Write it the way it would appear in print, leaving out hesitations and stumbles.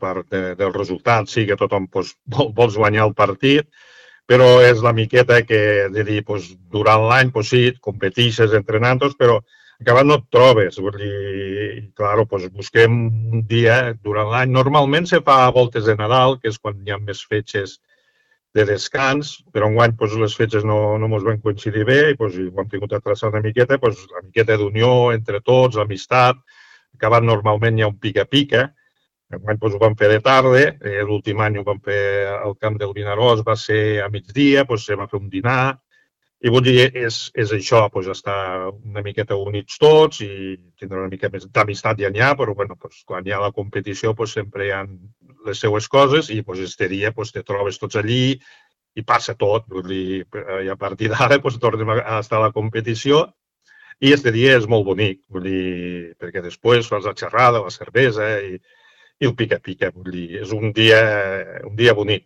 part del resultat, sí que tothom vols guanyar el partit, però és la miqueta que, de dir, durant l'any, sí, competeixes entrenant, però acabat no et trobes. Vull dir, clar, busquem un dia durant l'any. Normalment se fa a voltes de Nadal, que és quan hi ha més fetges de descans, però enguany les fetges no ens van coincidir bé i ho hem tingut a traçar una miqueta, la miqueta d'unió entre tots, l'amistat. Acabat normalment hi ha un pica-pica. Enguany ho vam fer de tarda, l'últim any ho vam fer al camp del Vinaròs, va ser a migdia, se va fer un dinar, i vull dir, és això, estar una miqueta units tots i tindre una mica més d'amistat ja n'hi ha, però quan hi ha la competició sempre hi ha les seues coses i este dia te trobes tots allí i passa tot, vull dir, i a partir d'ara tornem a estar a la competició i este dia és molt bonic, vull dir, perquè després fas la xerrada, la cervesa i el pica-pica, vull dir, és un dia bonic.